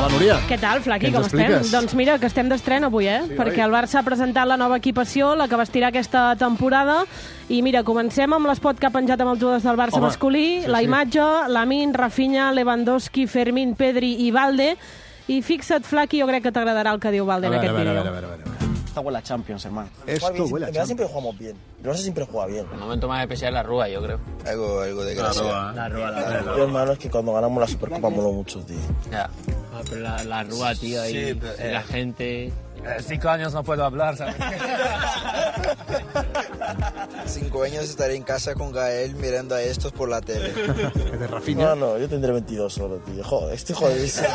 Hola, Núria. Què tal, Flaqui, com estem? expliques? Doncs mira, que estem d'estrena avui, Sí, perquè el Barça ha presentat la nova equipació, la que vestirà aquesta temporada, i mira, comencem amb l'espot que ha penjat amb els jugadors del Barça masculí, la imatge, Lamine, Rafinha, Lewandowski, Fermín, Pedri i Valde, i fixa't, Flaqui, jo crec que t'agradarà el que diu Valde en aquest vídeo. A ver. Esta huele a Champions, hermano. Esto huele a En verdad siempre jugamos bien. El Barça siempre juega bien. El momento más especial es la Rúa, yo creo. Algo de gracia. La Rúa. Yo, hermano, es que cuando ganamos la Supercopa moló mucho, tío. Ya. Pero la Rúa, tío, ahí, Sí, pero, la gente... 5 años no puedo hablar, ¿sabes? 5 años estaré en casa con Gael mirando a estos por la tele. De Rafinha. No, yo tendré 22 solo, tío. Joder, estoy jodidísimo.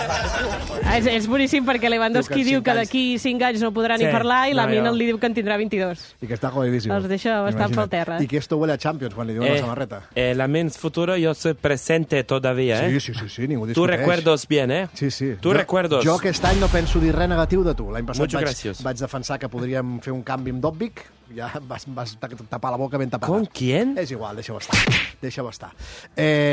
És boníssim perquè Lewandowski diu que d'aquí 5 anys no podrà ni parlar i Lamine li diu que en tindrà 22. Y que está jodidísimo. Els deixa bastant pel terra. Y que esto huele a Champions cuando le digo la samarreta. Lamine futuro yo soy presente todavía, ¿eh? Sí, ningú Tú discuteix. recuerdos bien, ¿eh? Sí. Tu recuerdos. Jo aquest any no penso dir res negatiu de tu. L'any passat Muchas gracias. vaig defensar que podríem fer un canvi amb Dobbik. Ja vas tapar la boca ben tapada. ¿Con quién? És igual, deixa-ho estar.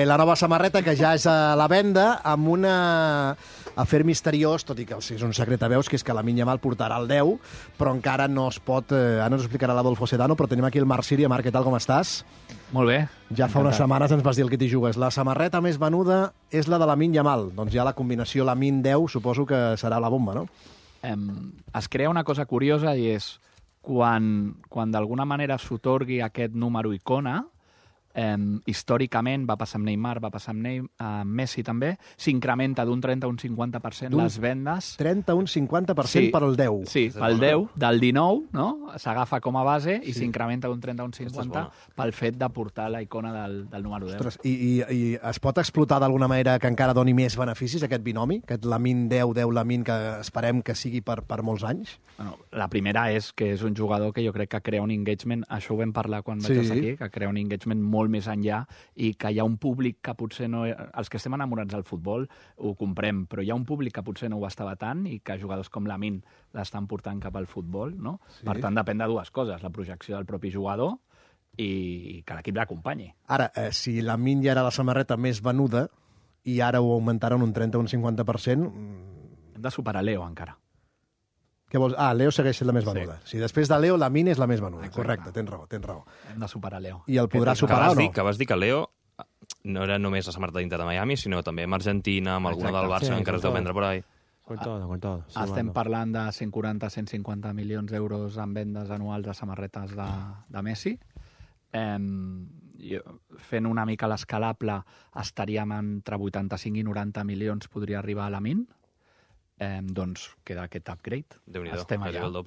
La nova samarreta, que ja és a la venda, amb un afer misteriós, tot i que és un secret a veus, que és que la Yamal portarà el 10, però encara no es pot... Ara ens ho explicarà l'Adolfo Sedano, però tenim aquí el Marc Síria. Marc, què tal, com estàs? Molt bé. Ja fa unes setmanes ens vas dir el que t'hi jugues. La samarreta més venuda és la de Lamine Yamal. Doncs ja la combinació Lamine 10 suposo que serà la bomba, no? Es crea una cosa curiosa i és quan d'alguna manera s'otorgui aquest número icona, històricament va passar amb Neymar, va passar amb Messi també, s'incrementa d'un 30 a un 50% les vendes. 30 a un 50% per al 10. Sí, pel 10, del 19, no? S'agafa com a base i s'incrementa d'un 30 a un 50 pel fet de portar la icona del número 10. Ostres, i es pot explotar d'alguna manera que encara doni més beneficis, aquest binomi? Aquest Lamine 10, Lamine, que esperem que sigui per molts anys? Bueno, la primera és que és un jugador que jo crec que crea un engagement, això ho vam parlar quan vaig estar aquí, que crea un engagement molt més enllà i que hi ha un públic que potser no... Els que estem enamorats del futbol ho comprem, però hi ha un públic que potser no ho estava tant i que jugadors com Lamine l'estan portant cap al futbol, no? Sí. Per tant, depèn de dues coses, la projecció del propi jugador i que l'equip l'acompanyi. Ara, si Lamine ja era la samarreta més venuda i ara ho augmentaran un 30 o un 50%... Hem de superar Leo encara. Què vols? Leo segueix sent la més venuda. Sí. Si després de Leo, Lamine és la més venuda. Exacte. Correcte, tens raó. Hem de superar Leo. I el podrà superar o no? Que vas dir que Leo no era només la samarreta d'Inter de Miami, sinó també amb Argentina, amb alguna del Barça, encara es deu vendre por ahí. Con todo. Sí, Estem parlant de 140-150 milions d'euros en vendes anuals de samarretes de Messi. Fent una mica l'escalable, estaríem entre 85 i 90 milions, podria arribar a Lamine. Doncs queda aquest upgrade. Déu-n'hi-do,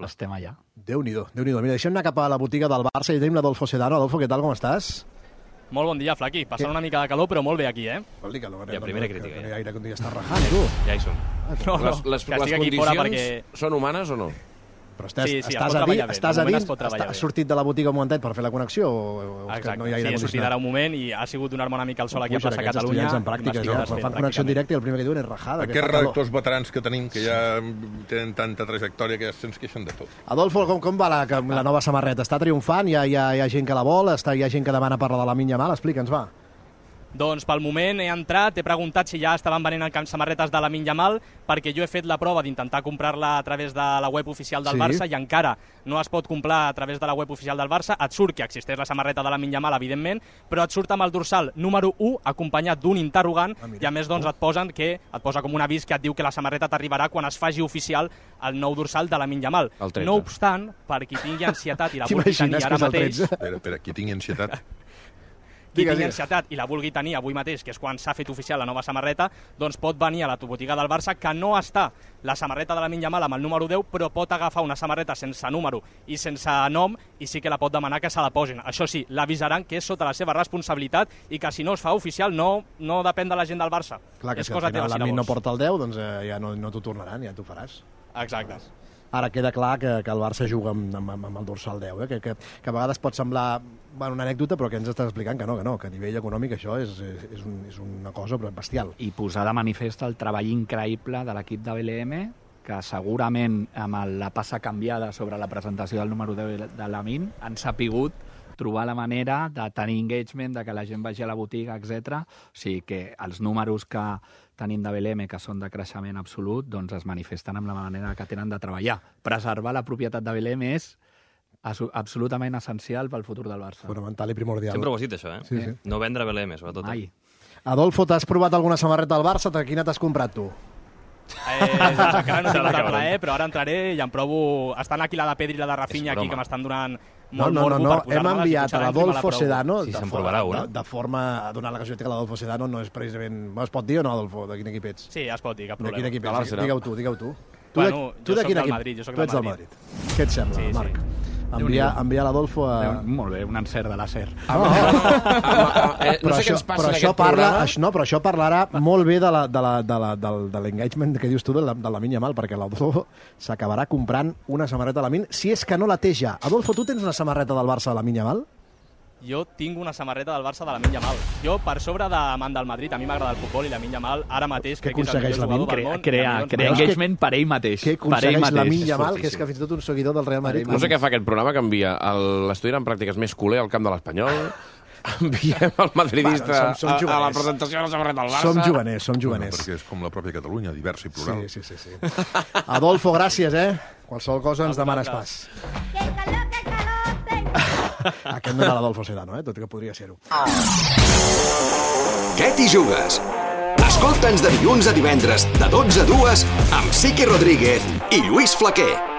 Estem allà. Déu-n'hi-do. Mira, deixem anar cap a la botiga del Barça i tenim l'Adolfo Sedano. Adolfo, què tal, com estàs? Molt bon dia, Flaqui. Passant una mica de calor, però molt bé aquí, eh? Vol dir calor, Ja, primera crítica, Que no hi ja. ha aire que està rajant, tu. Ja hi som. Les condicions són humanes o no? Però Sí, es pot treballar bé. De moment es pot treballar has bé. sortit de la botiga un momentet per fer la connexió o és que Exacte, no hi ha aire he sortit ara un moment i ha sigut donar-me una mica el sol aquí a plaça Catalunya. En pràctiques, fan connexió en directe i el primer que diuen és rajada. Aquests redactors veterans que tenim, que ja tenen tanta trajectòria que ja se'ns queixen de tot. Adolfo, com va la nova samarreta? Està triomfant? Hi ha gent que la vol? Hi ha gent que demana parlar de la Lamine Yamal? Explica'ns, va. Doncs pel moment he entrat, he preguntat si ja estaven venent samarretes de Lamine Yamal, perquè jo he fet la prova d'intentar comprar-la a través de la web oficial del Barça i encara no es pot comprar a través de la web oficial del Barça. Et surt que existeix la samarreta de Lamine Yamal, evidentment, però et surt amb el dorsal número 1 acompanyat d'un interrogant i a més doncs et posa com un avís que et diu que la samarreta t'arribarà quan es faci oficial el nou dorsal de Lamine Yamal. No obstant, per qui tingui ansietat i la vulgui tenir ara mateix... Espera, qui tingui ansietat... Qui tingui ansietat i la vulgui tenir avui mateix, que és quan s'ha fet oficial la nova samarreta, doncs pot venir a la botiga del Barça, que no està la samarreta de Lamine Yamal amb el número 10, però pot agafar una samarreta sense número i sense nom i sí que la pot demanar que se la posin. Això sí, l'avisaran que és sota la seva responsabilitat i que si no es fa oficial no depèn de la gent del Barça. Clar que si al final Lamine no porta el 10, doncs ja no t'ho tornaran, ja t'ho faràs. Exacte. Ara queda clar que el Barça juga amb el dorsal 10, que a vegades pot semblar una anècdota, però que ens estàs explicant que no, que a nivell econòmic això és una cosa bestial. I posar de manifest el treball increïble de l'equip de BLM, que segurament amb la passa canviada sobre la presentació del número 10 de Lamine han sapigut trobar la manera de tenir engagement, de que la gent vagi a la botiga, etc. O sigui que els números que tenim de BLM, que són de creixement absolut, doncs es manifesten amb la manera que tenen de treballar. Preservar la propietat de BLM és absolutament essencial pel futur del Barça. Fonamental i primordial. Sempre ho has dit, això, eh? Sí. No vendre BLM, sobretot. Mai. Adolfo, t'has provat alguna samarreta del Barça? Quina t'has comprat, tu? Doncs encara no tinc el plaer, però ara entraré i em provo... Estan aquí la de Pedri i la de Rafinha, aquí, que m'estan donant molt morbo per posar-me-les. Hem enviat a l'Adolfo Sedano, si se'n provarà una. de forma a donar la casualitat que l'Adolfo Sedano no és precisament... Es pot dir o no, Adolfo? De quin equip ets? Sí, es pot dir, cap problema. De quin equip ets? Digue-ho tu. Bueno, jo soc del Madrid, jo soc del Madrid. Què et sembla, Marc? Enviar l'Adolfo a... Molt bé, un encert de làser. No sé què ens passa en aquest programa. Però això parlarà molt bé de l'engagement que dius tu de Lamine Yamal, perquè l'Adolfo s'acabarà comprant una samarreta de Lamine, si és que no la té ja. Adolfo, tu tens una samarreta del Barça de Lamine Yamal? Jo tinc una samarreta del Barça de Lamine Yamal. Jo, per sobre d'amant del Madrid, a mi m'agrada el futbol i Lamine Yamal ara mateix crec que és el millor jugador del món. Crea engagement per ell mateix. Què aconsegueix Lamine Yamal, que és que fins i tot un seguidor del Real Madrid... No sé què fa aquest programa, que envia l'estudiant en pràctiques més culer al camp de l'Espanyol, enviem el madridista a la presentació de la samarreta del Barça... Som juganers. Perquè és com la pròpia Catalunya, diversa i plural. Sí. Adolfo, gràcies, Qualsevol cosa ens demanes pas. Aquest no era l'Adolfo Sedano, tot i que podria ser-ho. Què t'hi jugues? Escolta'ns de dilluns a divendres, de 12 a 2, amb Sique Rodríguez i Lluís Flaquer.